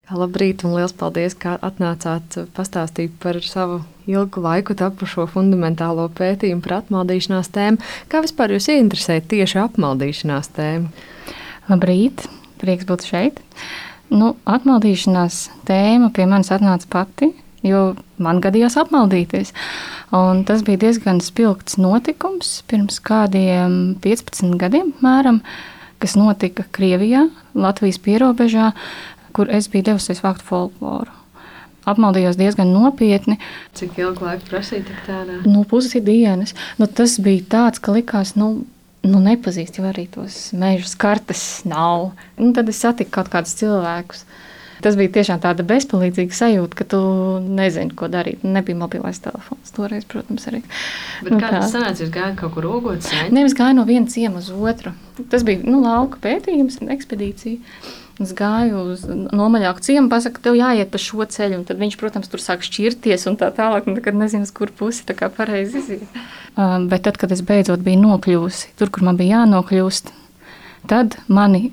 Labrīt, un liels paldies, ka atnācāt pastāstīt par savu ilgu laiku tapušo fundamentālo pētījumu par apmaldīšanās tēmu. Kā vispār jūs ieinteresēja tieši apmaldīšanās tēma? Labrīt, prieks būt šeit. Atmaldīšanās tēma pie manis atnāca pati, jo man gadījās apmaldīties. Un tas bija diezgan spilgts notikums pirms kādiem 15 gadiem mēram, kas notika Krievijā, Latvijas pierobežā, kur es biju devusies vākt folkloru. Apmaldījos diezgan nopietni. Cik ilgu laiku prasīja tik tādā? Pusi dienas. Tas bija tāds, ka likās, nepazīst jau arī tos mežus, kartes nav. Tad es satiku kaut kādus cilvēkus. Tas bija tiešām tāda bezpalīdzīga sajūta, ka tu nezini, ko darīt. Nebija mobilais telefons toreiz, protams, arī. Bet kā tas sanāca? Jūs gājāt kaut kur ogot sēņu? Nevis gāju no viena ciema uz otru. Tas bija lauka pētījums, ekspedīcija. Es gāju uz nomaļāku ciemu, pasaka, tev jāiet pa šo ceļu. Un tad viņš, protams, tur sāk šķirties un tā tālāk. Un tad nezinu, uz kur pusi tā kā pareizi iziet. Bet tad, kad es beidzot biju nokļuvusi tur, kur man bija jānokļūst, tad mani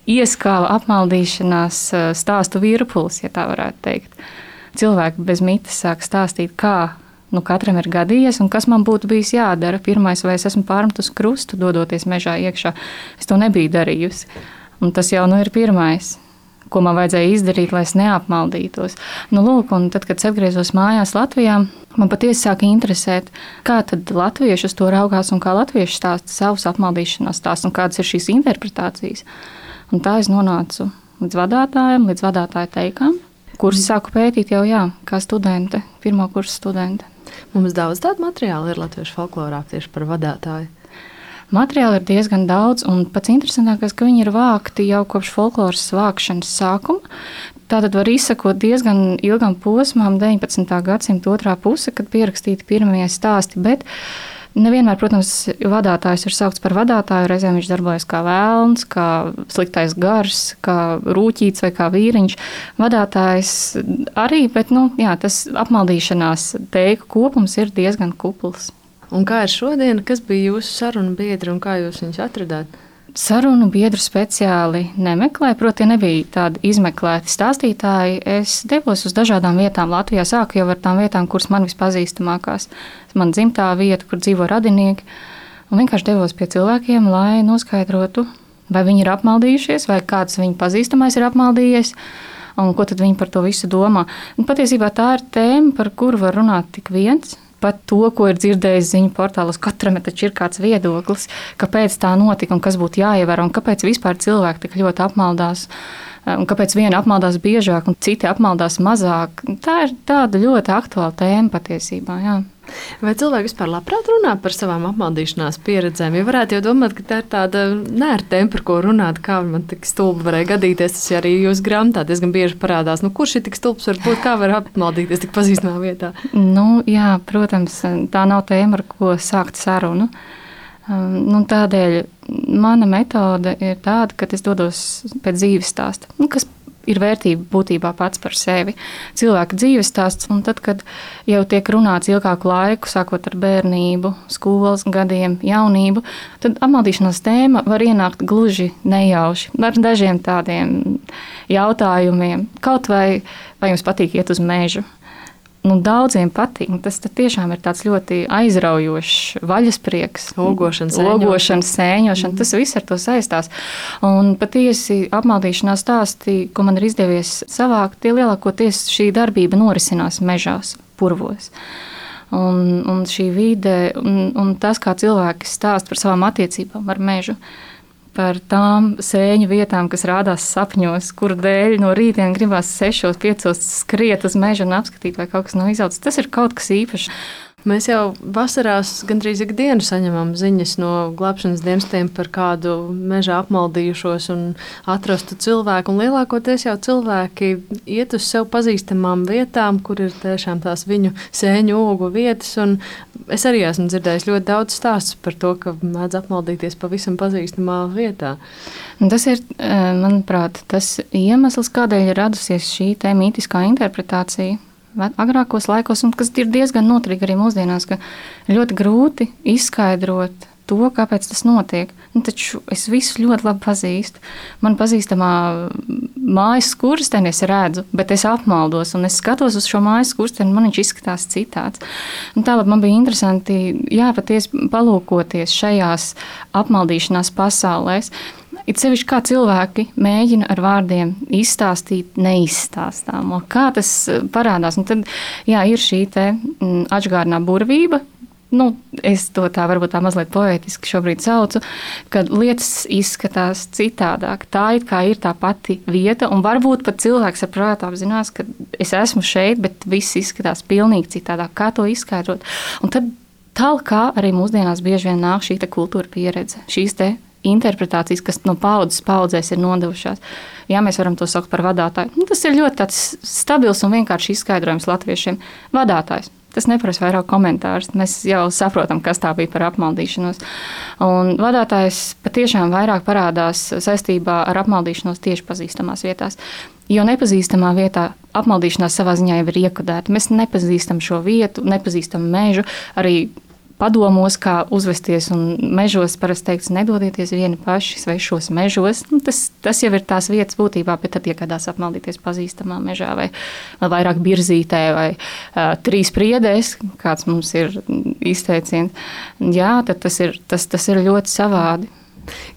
ieskāva apmaldīšanās stāstu virpulis, ja tā varētu teikt. Cilvēki bez mitas sāk stāstīt, kā katram ir gadījies un kas man būtu bijis jādara. Pirmais, vai es esmu pārmetus krustu, dodoties mežā iekšā. Es to nebiju darījusi. Un tas jau ir pirmais, ko man vajadzēja izdarīt, lai es neapmaldītos. Un tad, kad es atgriezos mājās Latvijā, man patiesi sāka interesēt, kā tad latvieši uz to raugās un kā latvieši stāsta savus apmaldīšanās stāstus un kādas ir šīs interpretācijas. Un tā es nonācu līdz vadātājiem, līdz vadātāju teikām, kurus sāku pētīt jau kā studente, pirmā kursa studente. Mums daudz tādu materiālu ir latviešu folklorā tieši par vadātāju. Materiāli ir diezgan daudz, un pats interesantākais, ka viņi ir vākti jau kopš folkloras vākšanas sākuma. Tātad var izsakot diezgan ilgam posmām 19. gadsimta otrā puse, kad pierakstīti pirmie stāsti, bet nevienmēr, protams, vadātājs ir saukts par vadātāju, reizēm viņš darbojas kā vēlns, kā sliktais gars, kā rūķīts vai kā vīriņš. Vadātājs arī, bet tas apmaldīšanās teiku kopums ir diezgan kupls. Un kā ir šodien, kas bija jūsu sarunu biedri un kā jūs viņus atradāt? Sarunu biedru speciāli nemeklēju, proti nebija tādi izmeklēti stāstītāji. Es devos uz dažādām vietām Latvijā, sāku jau ar tām vietām, kuras man vispazīstamākās. Man dzimtā vieta, kur dzīvo radinieki. Un vienkārši devos pie cilvēkiem, lai noskaidrotu, vai viņi ir apmaldījušies, vai kāds viņu pazīstamais ir apmaldījies, un ko tad viņi par to visu domā. Un patiesībā tā ir tēma, par kuru var runāt tik viens. Pat to, ko ir dzirdējis ziņu portālos, katram taču ir kāds viedoklis, kāpēc tā notika un kas būtu jāievēro, un kāpēc vispār cilvēki tik ļoti apmaldās, un kāpēc viena apmaldās biežāk un citi apmaldās mazāk. Tā ir tāda ļoti aktuāla tēma patiesībā, jā. Vai cilvēki vispār labprāt runā par savām apmaldīšanās pieredzēm? Jo varētu jau domāt, ka tā ir tāda nērta tēma, par ko runāt, kā man tik stulbi varēja gadīties. Tas arī jūsu grāmatā diezgan bieži parādās. Kurš ir tik stulbs, varbūt kā var apmaldīties tik pazīstamā vietā? Jā, protams, tā nav tēma, ar ko sākt sarunu. Tādēļ mana metode ir tāda, ka es dodos pēc dzīves stāsta, kas ir vērtība būtībā pats par sevi. Cilvēka dzīves stāsts, un tad, kad jau tiek runāts ilgāku laiku, sākot ar bērnību, skolas gadiem, jaunību, tad apmaldīšanās tēma var ienākt gluži nejauši ar dažiem tādiem jautājumiem. Kaut vai jums patīk iet uz mežu? Daudziem patīk. Tas tiešām ir tāds ļoti aizraujošs vaļasprieks. Ogošana, sēņošana. Tas viss ar to saistās. Un patiesi apmaldīšanās stāsti, ko man ir izdevies savākt, tie lielākoties šī darbība norisinās mežās, purvos. Un šī vide un tas, kā cilvēki stāsta par savām attiecībām ar mežu, par tām sēņu vietām, kas rādās sapņos, kuru dēļ no rītdien gribās 6, 5 skriet uz mežu un apskatīt, vai kaut kas nav izaudzis. Tas ir kaut kas īpašs. Mēs jau vasarās gandrīz ikdienu saņemam ziņas no glābšanas dienestiem par kādu mežā apmaldījušos un atrastu cilvēku. Un lielākoties jau cilvēki iet uz sev pazīstamām vietām, kur ir tiešām tās viņu sēņu ogu vietas. Un es arī esmu dzirdējis ļoti daudz stāstus par to, ka mēdz apmaldīties pavisam pazīstamā vietā. Tas ir, manuprāt, tas iemesls, kādēļ ir radusies šī mītiskā interpretācija agrākos laikos, un kas ir diezgan noturīgi arī mūsdienās, ka ļoti grūti izskaidrot to, kāpēc tas notiek. Taču es visu ļoti labi pazīstu. Man pazīstamā mājas skursteni es redzu, bet es apmaldos, un es skatos uz šo mājas skursteni, man viņš izskatās citāds. Tālāk man bija interesanti, patiesi palūkoties šajās apmaldīšanās pasaulēs. It sevišķi kā cilvēki mēģina ar vārdiem izstāstīt neizstāstāmo. Kā tas parādās? Un tad ir šī atžgārnā burvība. Es to tā varbūt tā mazliet poētiski šobrīd saucu, kad lietas izskatās citādāk. Tā it kā ir tā pati vieta, un varbūt pat cilvēks ar prātu apzinās, ka es esmu šeit, bet viss izskatās pilnīgi citādāk. Kā to izskaidrot? Un tad kā arī mūsdienās bieži vien nāk šī kultūra pieredze, šīs interpretācijas, kas no paudzes paudzēs ir nodevušās. Jā, mēs varam to saukt par vadātāju. Tas ir ļoti tāds stabils un vienkārši izskaidrojums latviešiem. Vadātājs. Tas neprasa vairāk komentārus. Mēs jau saprotam, kas tā bija par apmaldīšanos. Un vadātājs patiešām vairāk parādās saistībā ar apmaldīšanos tieši pazīstamās vietās. Jo nepazīstamā vietā apmaldīšanās savā ziņā jau ir iekodēta. Mēs nepazīstam šo vietu, nepazīstam mežu, arī padomos, kā uzvesties, un mežos parasti teikts, nedodieties vieni paši svešos mežos. Tas jau ir tās vietas būtībā, bet tad iekādās apmaldīties pazīstamā mežā vai vairāk birzītē vai trīs priedēs, kāds mums ir izteiciens. Jā, tad tas ir ļoti savādi.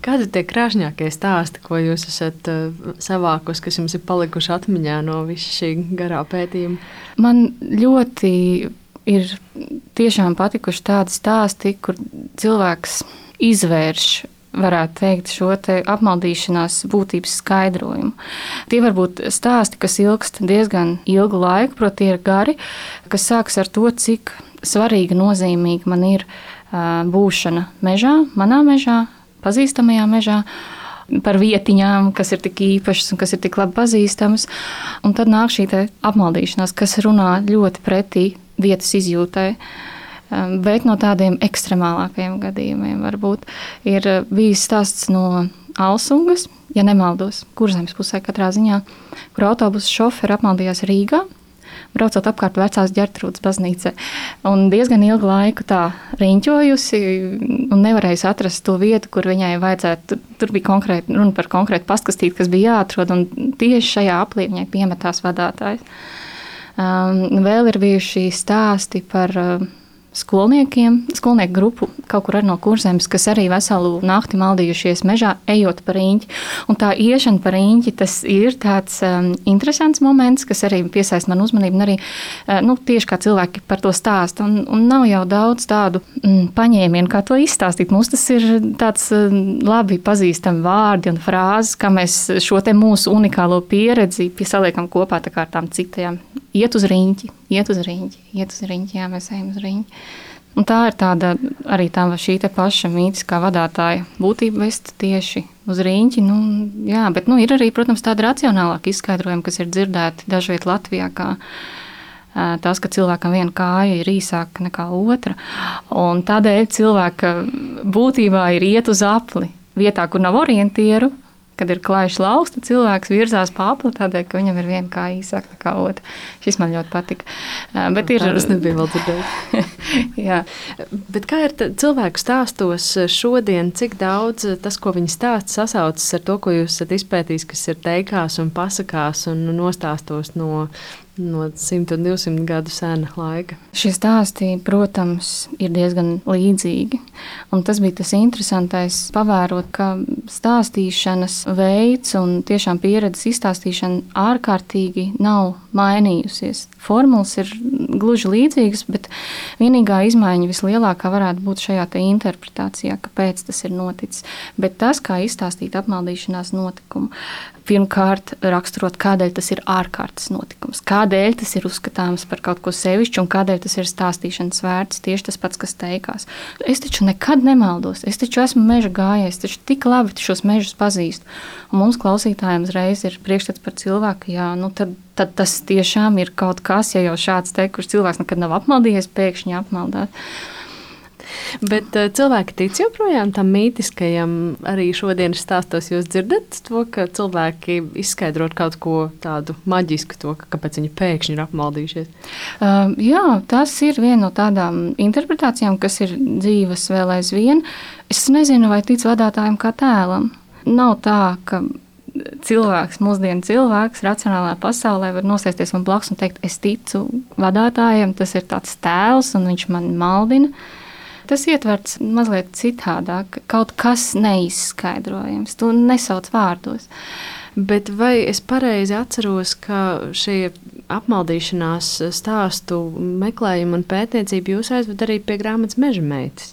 Kādi tie krāšņākie stāsti, ko jūs esat savākus, kas jums ir palikuši atmiņā no visa šī garā pētījuma? Man ļoti ir tiešām patikuši tādi stāsti, kur cilvēks izvērš, varētu teikt, šo apmaldīšanās būtības skaidrojumu. Tie var būt stāsti, kas ilgst diezgan ilgu laiku, proti tie ir gari, kas sākas ar to, cik svarīga, nozīmīga man ir būšana mežā, manā mežā, pazīstamajā mežā, par vietiņām, kas ir tik īpašas un kas ir tik labi pazīstamas. Un tad nāk šī apmaldīšanās, kas runā ļoti pretī vietas izjūtai, bet no tādiem ekstremālākajiem gadījumiem varbūt ir bijis stāsts no Alsungas, ja nemaldos, Kurzemes pusē katrā ziņā, kur autobusu šoferi apmaldījās Rīgā, braucot apkārt Vecās Ģertrūdes baznīcai. Un diezgan ilgu laiku tā riņķojusi un nevarējusi atrast to vietu, kur viņai vajadzētu. Tur bija runa par konkrētu pastkastīti, kas bija jāatrod, un tieši šajā aplī viņai piemetās vadātājs. Vēl ir bijuši stāsti par skolnieku grupu kaut kur arī no Kurzemes, kas arī veselu nakti maldījušies mežā, ejot pa riņķi. Un tā iešana pa riņķi, tas ir tāds interesants moments, kas arī piesaista man uzmanību, un arī tieši kā cilvēki par to stāsta. Un nav jau daudz tādu paņēmienu, kā to izstāstīt. Mums tas ir tāds labi pazīstami vārdi un frāzes, kā mēs šo mūsu unikālo pieredzi saliekam kopā tā kā ar tām citajām. Iet uz riņķi, jā, mēs ejam uz riņķi. Un tā ir tāda arī šī paša mītiskā vadātāja būtība vest tieši uz riņķi. Jā, bet ir arī, protams, tāda racionālāka izskaidrojuma, kas ir dzirdēti dažviet Latvijā, kā tas, ka cilvēkam viena kāja ir īsāka nekā otra. Un tādēļ cilvēka būtībā ir iet uz apli vietā, kur nav orientieru. Kad ir klājš lauks, tad cilvēks virzās pa apli tādēļ, ka viņam ir viena kāja īsāka nekā otra. Šis man ļoti patika. Tas nebija vēl dzirdēt. Jā. Bet kā ir cilvēku stāstos šodien, cik daudz tas, ko viņi stāsta, sasaucas ar to, ko jūs esat izpētījis, kas ir teikās un pasakās un nostāstos no 100 un 200 gadu sena laika? Šie stāsti, protams, ir diezgan līdzīgi. Un tas bija tas interesantais pavērot, ka stāstīšanas veids un tiešām pieredzes izstāstīšana ārkārtīgi nav mainījusies. Formulas ir gluži līdzīgas, bet vienīgā izmaiņa vislielākā varētu būt šajā interpretācijā, kāpēc tas ir noticis. Bet tas, kā izstāstīt apmaldīšanās notikumu, pirmkārt raksturot, kādēļ tas ir ārkārtas notikums, kādēļ tas ir uzskatāms par kaut ko sevišķu un kādēļ tas ir stāstīšanas vērts, tieši tas pats, kas teikās. Es taču nekad nemaldos, es taču esmu meža gājējs, taču tik labi šos mežus pazīstu. Un mums klausītājiem uzreiz ir priekšstats par cilvēku, jā, tad tas tiešām ir kaut kas, ja jau šāds kurš cilvēks nekad nav apmaldījies, pēkšņi apmaldāt. Bet cilvēki tic joprojām tam mītiskajam, arī šodienas stāstos jūs dzirdat to, ka cilvēki izskaidrot kaut ko tādu maģisku, to, kāpēc viņi pēkšņi ir apmaldījušies? Jā, tas ir viena no tādām interpretācijām, kas ir dzīves vēl aizvien. Es nezinu, vai tic vadātājiem kā tēlam. Nav tā, ka cilvēks, mūsdienu cilvēks, racionālā pasaulē var nosēsties man blakus un teikt, es ticu vadātājiem, tas ir tāds tēls un viņš mani maldina. Tas ietverts mazliet citādāk, kaut kas neizskaidrojams, tu nesauc vārdos. Bet vai es pareizi atceros, ka šie apmaldīšanās stāstu meklējumi un pētniecība jūs aizved arī pie grāmatas Meža meitas?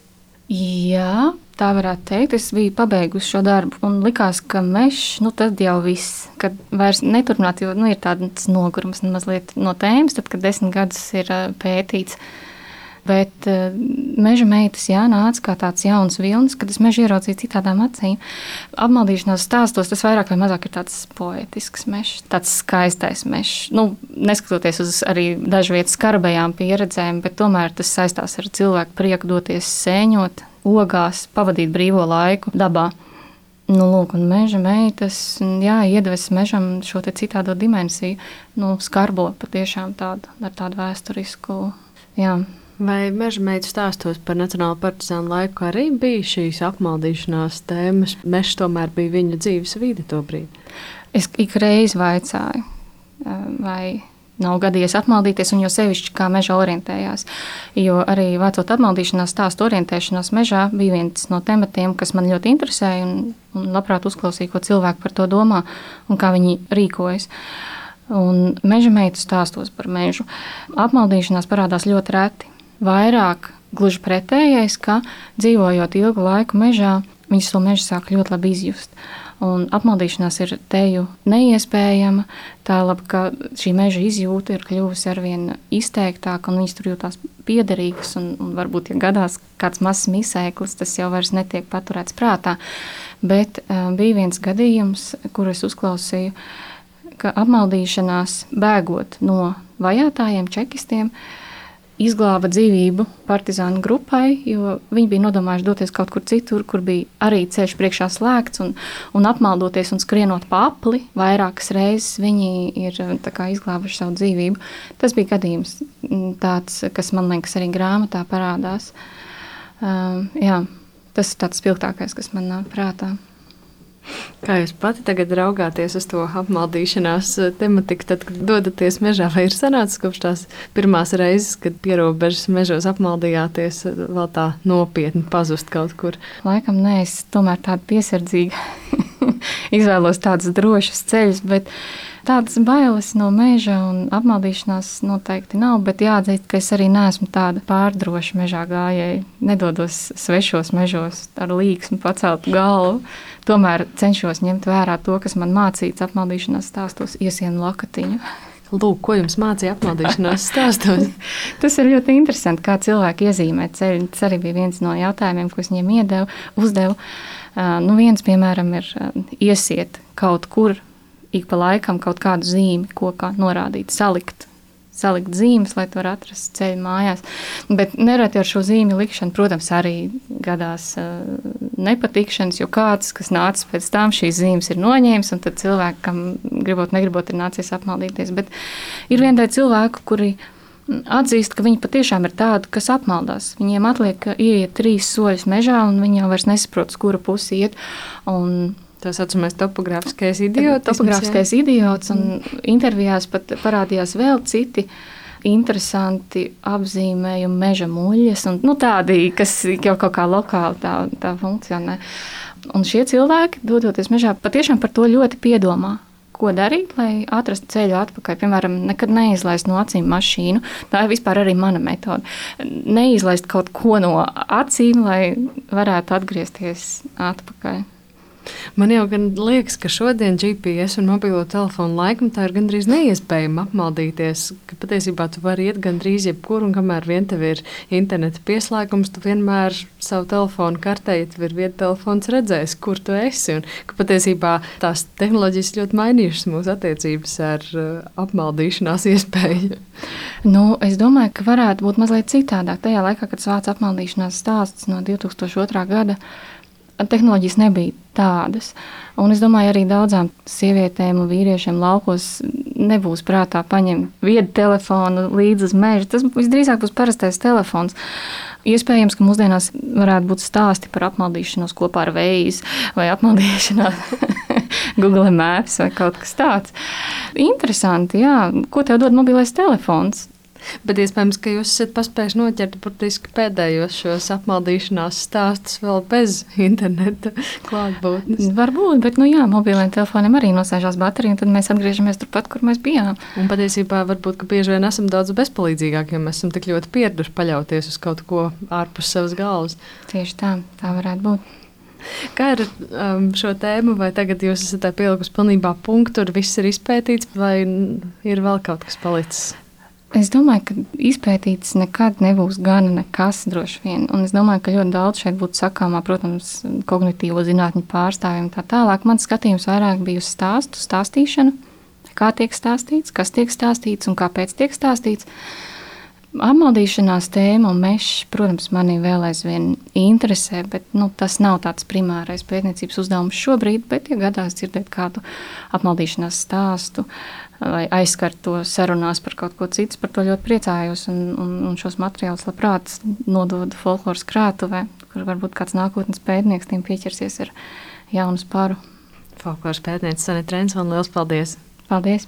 Jā, tā varētu teikt. Es biju pabeigusi šo darbu un likās, ka mežs, tad jau viss, kad vairs neturpināt, jo ir tāds nogurums mazliet no tēmas, tad, kad 10 gadus ir pētīts. Bet Meža meitas nāca kā tāds jauns vilnis, kad es mežu ieraudzīju citādām acīm. Apmaldīšanās stāstos tas vairāk vai mazāk ir tāds poetisks mežs, tāds skaistais mežs. Neskatoties uz arī dažu vietu skarbajām pieredzēm, bet tomēr tas saistās ar cilvēku prieku doties sēņot, ogās, pavadīt brīvo laiku dabā. Lūk, un Meža meitas iedves mežam šo te citādo dimensiju, skarbo patiešām ar tādu vēsturisku, Vai Meža meitu stāstos par Nacionālo partizānu laiku arī bija šīs apmaldīšanās tēmas? Mežs tomēr bija viņa dzīves vide to brīdi. Es ik reizi vaicāju, vai nav gadījies apmaldīties, un jo sevišķi kā meža orientējās. Jo arī vācot apmaldīšanās stāstu orientēšanās mežā bija viens no tematiem, kas man ļoti interesēja un labprāt uzklausīju, ko cilvēki par to domā un kā viņi rīkojas. Un Meža meitu stāstos par mežu apmaldīšanās parādās ļoti reti. Vairāk gluži pretējais, ka dzīvojot ilgu laiku mežā, viņš to mežu sāk ļoti labi izjust. Un apmaldīšanās ir teju neiespējama, tā labi, ka šī meža izjūta ir kļuvusi arvien izteiktāka, un viņas tur jūtās piederīgas, un varbūt, ja gadās kāds mazs misēklis, tas jau vairs netiek paturēts prātā. Bet bija viens gadījums, kur es uzklausīju, ka apmaldīšanās bēgot no vajātājiem, čekistiem, izglāba dzīvību partizānu grupai, jo viņi bija nodomājuši doties kaut kur citur, kur bija arī ceļš priekšā slēgts, un apmaldoties un skrienot pa apli, vairākas reizes viņi ir izglābuši savu dzīvību. Tas bija gadījums tāds, kas man liekas arī grāmatā parādās. Tas ir tāds spilgtākais, kas man nāk prātā. Kā jūs pati tagad raugāties uz to apmaldīšanās tematiku, tad, kad dodaties mežā, vai ir sanācis kopš tās pirmās reizes, kad pierobežas mežos apmaldījāties, vēl tā nopietni pazust kaut kur? Laikam nē, es tomēr tādu piesardzīgu izvēlos tādus drošus ceļus, bet tādas bailes no meža un apmaldīšanās noteikti nav, bet jāatzīst, ka es arī neesmu tāda pārdroša mežā gājēja. Nedodos svešos mežos ar līksmu paceltu galvu. Tomēr cenšos ņemt vērā to, kas man mācīts apmaldīšanās stāstos, iesienu lakatiņu. Lūk, ko jums mācīja apmaldīšanās stāstos? Tas ir ļoti interesanti, kā cilvēki iezīmē ceļu. Tas arī bija viens no jautājumiem, ko es viņiem uzdevu. Viens, piemēram, ir iesiet kaut kur, ik pa laikam kaut kādu zīmi, kokā norādīt, salikt zīmes, lai tu varētu atrast ceļu mājās. Bet nereti ar šo zīmi likšanu, protams, arī gadās nepatikšanas, jo kāds, kas nācis pēc tam, šīs zīmes ir noņēmis, un tad cilvēkam, gribot, negribot, ir nācies apmaldīties. Bet ir vienai cilvēku, kuri atzīst, ka viņi patiešām ir tādi, kas apmaldās. Viņiem atliek ieiet 3 soļus mežā, un viņi jau vairs nesaprot, uz kura pusi iet. Tā saucamais topogrāfiskais idiots. Topogrāfiskais idiots, un intervijās pat parādījās vēl citi interesanti apzīmējumi meža muļas, un tādi, kas jau kaut kā lokāli tā funkcionē. Un šie cilvēki, dodoties mežā, patiešām par to ļoti piedomā. Ko darīt, lai atrastu ceļu atpakaļ? Piemēram, nekad neizlaist no acīm mašīnu. Tā ir vispār arī mana metode. Neizlaist kaut ko no acīm, lai varētu atgriezties atpakaļ. Man jau gan liekas, ka šodien GPS un mobilo telefonu laikmetā ir gandrīz neiespējami apmaldīties, ka patiesībā tu vari iet gandrīz jebkur, un kamēr vien tev ir interneta pieslēgums, tu vienmēr savu telefonu kartē, ja tev ir viedtelefons, redzēsi, kur tu esi, un ka patiesībā tās tehnoloģijas ļoti mainījušas mūsu attiecības ar apmaldīšanās iespēju. Es domāju, ka varētu būt mazliet citādāk. Tajā laikā, kad sāc apmaldīšanās stāsts no 2002. gada, tehnoloģijas nebija tādas. Un es domāju, arī daudzām sievietēm un vīriešiem laukos nebūs prātā paņemt viedu telefonu līdzi uz mežu. Tas visdrīzāk būs parastais telefons. Iespējams, ka mūsdienās varētu būt stāsti par apmaldīšanos kopā ar Waze vai apmaldīšanās Google Maps vai kaut kas tāds. Interesanti, jā. Ko tev dod mobilais telefons? Bet iespējams, ka jūs esat paspējuši noķert burtiski pēdējos šos apmaldīšanās stāstus vēl bez interneta klātbūtnes. Varbūt, bet mobiliem telefoniem arī nosēžās baterija, un tad mēs atgriežamies turpat, kur mēs bijām. Un patiesībā varbūt, ka bieži vien esam daudz bezpalīdzīgāki, jo mēs esam tik ļoti pieraduši paļauties uz kaut ko ārpus savas galvas. Tieši tā varētu būt. Kā ir šo tēmu, vai tagad jūs esat pielikusi pilnībā punktu, tur viss ir izpētīts, vai ir vēl kaut kas palicis? Es domāju, ka izpētīts nekad nebūs gana nekas droši vien. Un es domāju, ka ļoti daudz šeit būtu sakāmā, protams, kognitīvo zinātņu pārstāvjiem tā tālāk. Mans skatījums vairāk bija uz stāstīšanu, kā tiek stāstīts, kas tiek stāstīts un kāpēc tiek stāstīts. Apmaldīšanās tēma un mežs, protams, mani vēl aizvien interesē, bet tas nav tāds primārais pētniecības uzdevums šobrīd, bet, ja gadās dzirdēt kādu apmaldīšanās stāstu vai aizskart to sarunās par kaut ko citu, par to ļoti priecājos un šos materiālus labprāt nododu folkloras krātuvē, kur varbūt kāds nākotnes pētnieks tiem pieķersies ar jaunu sparu. Folkloras pētniece Sanita Rensone, liels paldies! Paldies!